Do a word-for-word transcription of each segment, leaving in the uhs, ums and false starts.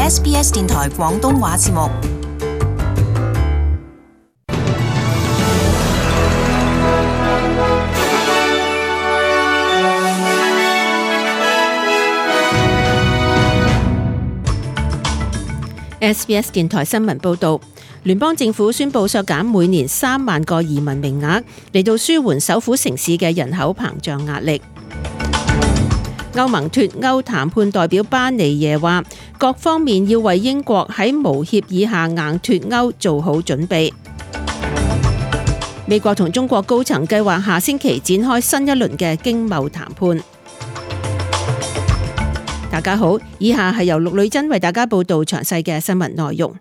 S B S 電台廣東話節目。S B S 電台新聞報導，聯邦政府宣布削減每年三萬個移民名額，嚟到舒緩首府城市嘅人口膨脹壓力。歐盟脫歐談判代表巴尼耶話，各方面要為英國喺無協議下硬脫歐做好準備。美國同中國高層計劃下星期展開新一輪嘅經貿談判。大家好，以下係由陸女珍為大家報道詳細嘅新聞內容。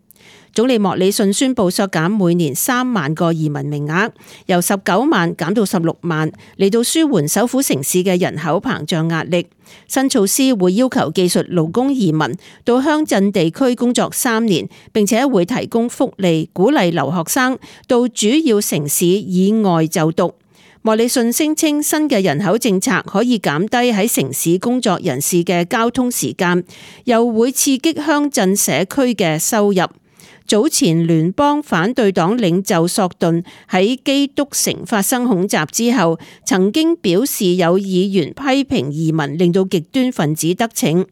總理莫里遜宣布削減每年三萬個移民名額，由十九萬減到十六萬，嚟到舒緩首府城市嘅人口膨脹壓力。新措施會要求技術勞工移民到鄉鎮地區工作三年，並且會提供福利，鼓勵留學生到主要城市以外就讀。莫里遜聲稱新嘅人口政策可以減低喺城市工作人士嘅交通時間，又會刺激鄉鎮社區嘅收入。早前聯邦反對黨領袖索頓喺基督城發生恐襲之後，曾經表示有議員批評移民令到極端分子得逞。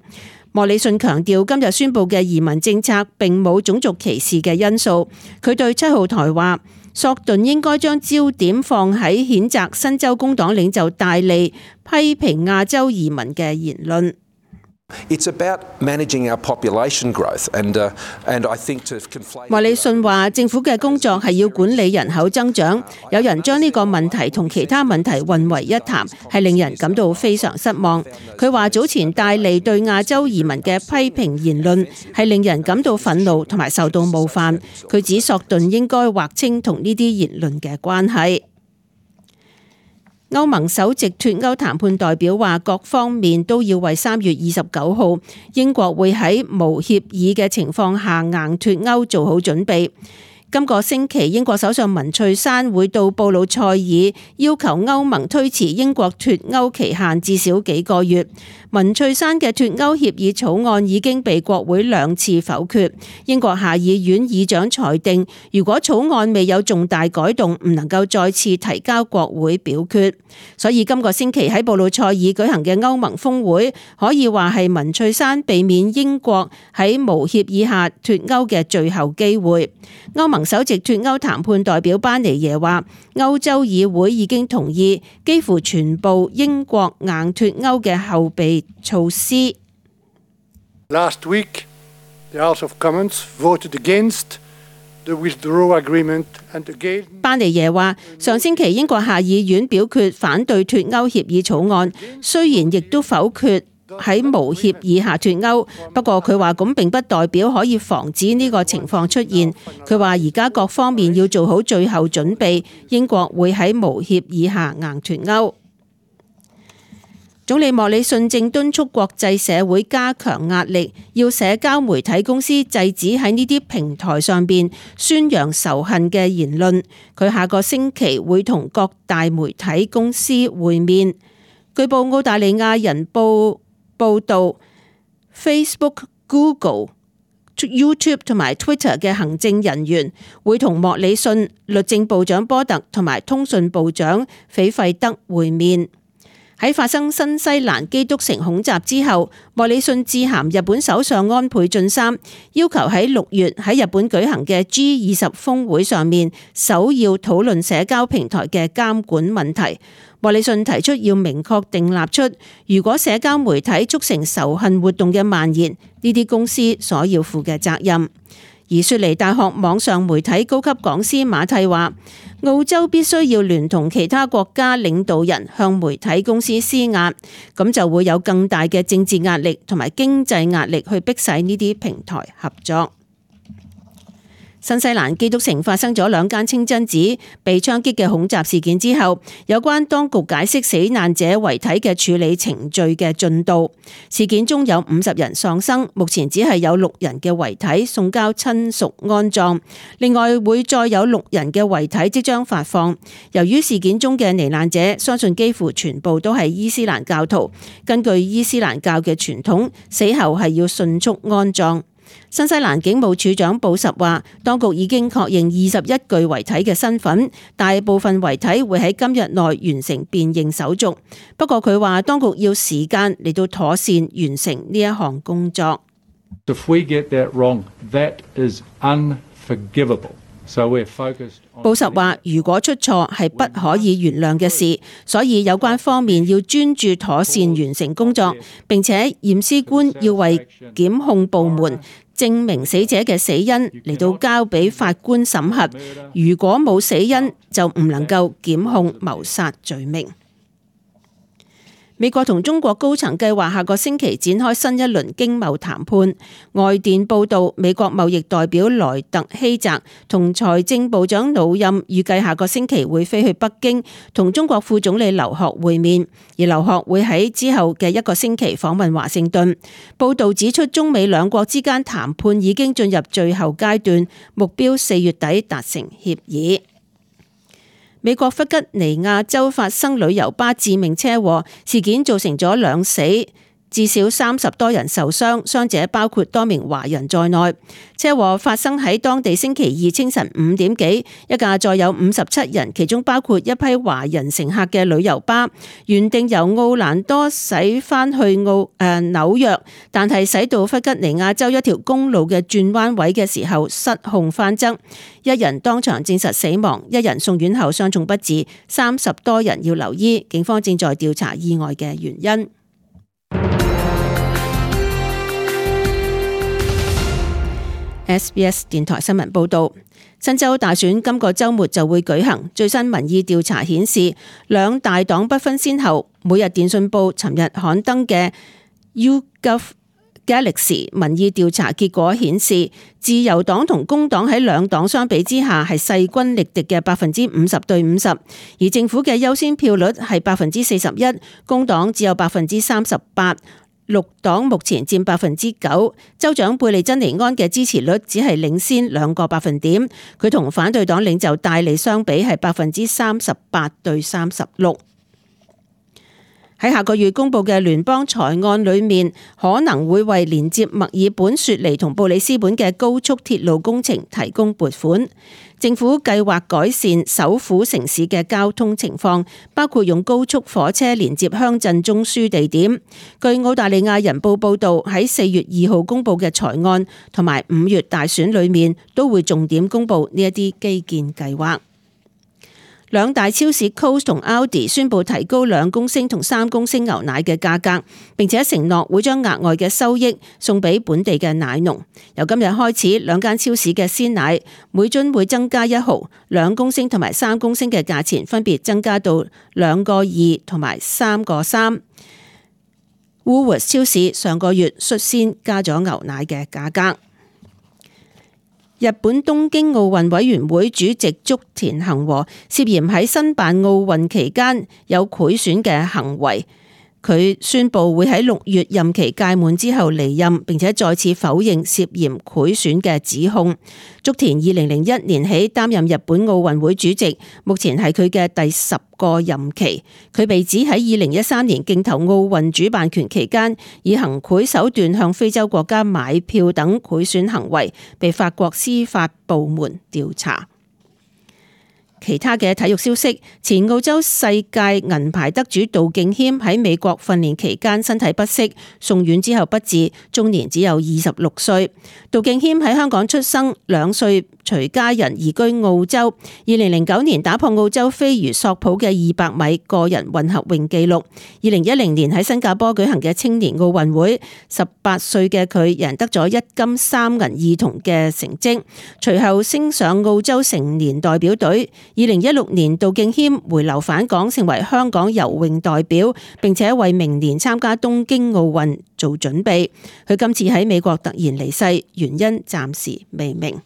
莫里遜強調今日宣布嘅移民政策並冇種族歧視嘅因素。佢對七號台話，索頓應該將焦點放喺譴責新州工黨領袖戴利批評亞洲移民嘅言論。It's about managing our population growth, and uh, and I think to conflate. 莫里遜話：政府嘅工作係要管理人口增長。有人將呢個問題同其他問題混為一談，係令人感到非常失望。佢話早前戴利對亞洲移民嘅批評言論係令人感到憤怒同埋受到冒犯。佢指索頓應該劃清同呢啲言論嘅關係。歐盟首席脫歐談判代表話，各方面都要為三月二十九號英國會喺無協議嘅情況下硬脫歐做好準備。今個星期，英國首相文翠珊會到布魯塞爾，要求歐盟推遲英國脫歐期限至少幾個月。文翠珊嘅脫歐協議草案已經被國會兩次否決。英國下議院議長裁定，如果草案未有重大改動，唔能夠再次提交國會表決。所以今個星期喺布魯塞爾舉行嘅歐盟峰會，可以話係文翠珊避免英國喺無協議下脫歐嘅最後機會。歐盟首席脫歐談判代表巴尼耶話，歐洲議會已經同意幾乎全部英國硬脫歐嘅後備措施。Last week, the House of Commons voted against the withdrawal agreement and again. 巴尼耶話，上星期英國下議院表決反對脫歐協議草案，雖然亦都否決喺無協議下脫歐，不過佢話咁並不代表可以防止呢個情況出現。佢話而家各方面要做好最後準備，英國會喺無協議下硬脫歐。總理莫里遜正敦促國際社會加強壓力，要社交媒體公司制止喺呢啲平台上邊宣揚仇恨嘅言論。佢下個星期會同各大媒體公司會面。據報澳大利亞人報報道 ，Facebook、Google、YouTube 同埋 Twitter 嘅行政人員會同莫里遜、律政部長波特同埋通訊部長斐費德會面。喺發生新西蘭基督城恐襲之後，莫里遜致函日本首相安倍晉三，要求喺六月喺日本舉行嘅 G 二十峰會上面，首要討論社交平台嘅監管問題。莫里遜提出要明確訂立出，如果社交媒體促成仇恨活動嘅蔓延，呢啲公司所要負嘅責任。而雪梨大學網上媒體高級講師馬蒂話，澳洲必須要聯同其他國家領導人向媒體公司施壓，咁就會有更大嘅政治壓力同埋經濟壓力去迫使呢啲平台合作。新西蘭基督城發生咗兩間清真寺被槍擊嘅恐襲事件之後，有關當局解釋死難者遺體嘅處理程序嘅進度。事件中有五十人喪生，目前只係有六人嘅遺體送交親屬安葬，另外會再有六人嘅遺體即將發放。由於事件中嘅罹難者相信幾乎全部都係伊斯蘭教徒，根據伊斯蘭教嘅傳統，死後係要迅速安葬。新西蘭警務處長布什話，當局已經確認二十一具遺體嘅身份，大部分遺體會喺今日內完成辨認手續。不過佢話，當局要時間嚟到妥善完成呢一項工作。If we get that wrong, that is unforgivable. So we're focused on... 布什話，如果出錯係不可以原諒嘅事，所以有關方面要專注妥善完成工作，並且驗屍官要為檢控部門證明死者嘅死因嚟到交俾法官審核。如果冇死因，就唔能夠檢控謀殺罪名。美國同中國高層計劃下個星期展開新一輪經貿談判。外電報道，美國貿易代表萊特希澤同財政部長魯欽預計下個星期會飛去北京同中國副總理劉鶴會面，而劉鶴會喺之後嘅一個星期訪問華盛頓。報道指出，中美兩國之間談判已經進入最後階段，目標四月底達成協議。美國弗吉尼亞州發生旅遊巴致命車禍，事件造成咗兩死，至少三十多人受傷，傷者包括多名華人在內。車禍發生喺當地星期二清晨五點幾，一架載有五十七人，其中包括一批華人乘客嘅旅遊巴，原定由奧蘭多駛返去奧誒、呃、紐約，但係駛到弗吉尼亞州一條公路嘅轉彎位嘅時候失控翻側，一人當場證實死亡，一人送院後傷重不治，三十多人要留醫。警方正在調查意外嘅原因。S B S 電台新聞報道，新州大選今個週末就會舉行。最新民意調查顯示，兩大黨不分先後。每日電訊報尋日刊登嘅 YouGov Galaxy 民意調查結果顯示，自由黨同工黨喺兩黨相比之下係勢均力敵嘅百分之五十對五十，而政府嘅優先票率係百分之四十一，工黨只有百分之三十八。綠黨目前佔百分之九，州長貝利珍尼安嘅支持率只係領先兩個百分點，佢同反對黨領袖戴利相比係百分之三十八對三十六。喺下個月公布嘅聯邦財案裏面，可能會為連接墨爾本雪梨同布里斯本嘅高速鐵路工程提供撥款。政府計劃改善首府城市嘅交通情況，包括用高速火車連接鄉鎮中樞地點。據澳大利亞人報報導，喺四月二號公布嘅財案同埋五月大選裏面，都會重點公布呢一啲基建計劃。兩大超市 Coles 同 Aldi 宣布提高兩公升同三公升牛奶嘅價格，並且承諾會將額外嘅收益送俾本地嘅奶農。由今日開始，兩間超市嘅鮮奶每樽會增加一毫，兩公升同埋三公升嘅價錢分別增加到兩個二同埋三個三。Woolworths 超市上個月率先加咗牛奶嘅價格。日本東京奧運委員會主席竹田恒和涉嫌喺申辦奧運期間有賄選嘅行為，佢宣布會喺六月任期屆滿之後離任，並且再次否認涉嫌賄選嘅指控。竹田二零零一年起擔任日本奧運會主席，目前係佢嘅第十個任期。佢被指喺二零一三年競投奧運主辦權期間，以行賄手段向非洲國家買票等賄選行為，被法國司法部門調查。其他嘅體育消息，前澳洲世界銀牌得主杜敬謙喺美國訓練期間身體不適，送院之後不治，終年只有二十六歲。杜敬謙喺香港出生，兩歲隨家人移居澳洲。二零零九年打破澳洲飛魚索普嘅二百米個人混合泳紀錄。二零一零年喺新加坡舉行嘅青年奧運會，十八歲嘅佢贏得咗一金三銀二銅嘅成績，隨後升上澳洲成年代表隊。二零一六年，杜敬謙回流返港，成為香港游泳代表，並且為明年參加東京奧運做準備。佢今次喺美國突然離世，原因暫時未明。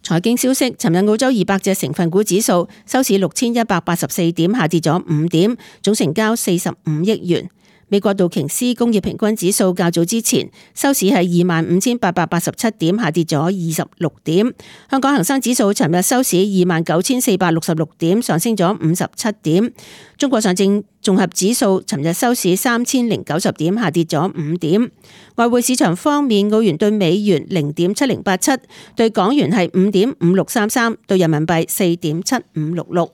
財經消息，尋日澳洲二百隻成分股指數收市六千一百八十四點，下跌咗五點，總成交四十五億元。美國道瓊斯工業平均指數較早之前收市係二萬五千八百八十七點，下跌咗二十六點。香港恒生指數尋日收市二萬九千四百六十六點，上升咗五十七點。中國上證綜合指數尋日收市三千零九十點，下跌咗五點。外匯市場方面，澳元對美元零點七零八七，對港元係五點五六三三，對人民幣四點七五六六。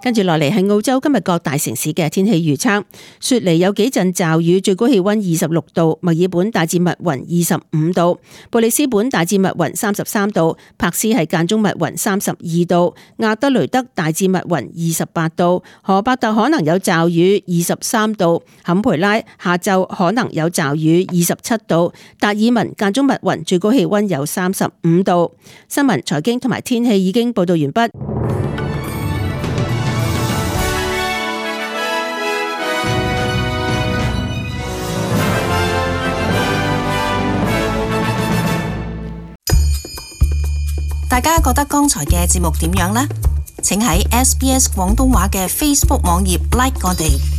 跟住落嚟係澳洲今日各大城市嘅天氣預測。雪梨有幾陣驟雨，最高氣溫二十六度；墨爾本大致密雲二十五度；布里斯本大致密雲三十三度；柏斯係間中密雲三十二度；亞德雷德大致密雲二十八度；荷伯特可能有驟雨二十三度；坎培拉下晝可能有驟雨二十七度；達爾文間中密雲，最高氣溫有三十五度。新聞、財經同埋天氣已經報道完畢。大家覺得剛才嘅節目點樣呢？請喺 S B S 廣東話嘅 Facebook 網頁 like 我哋。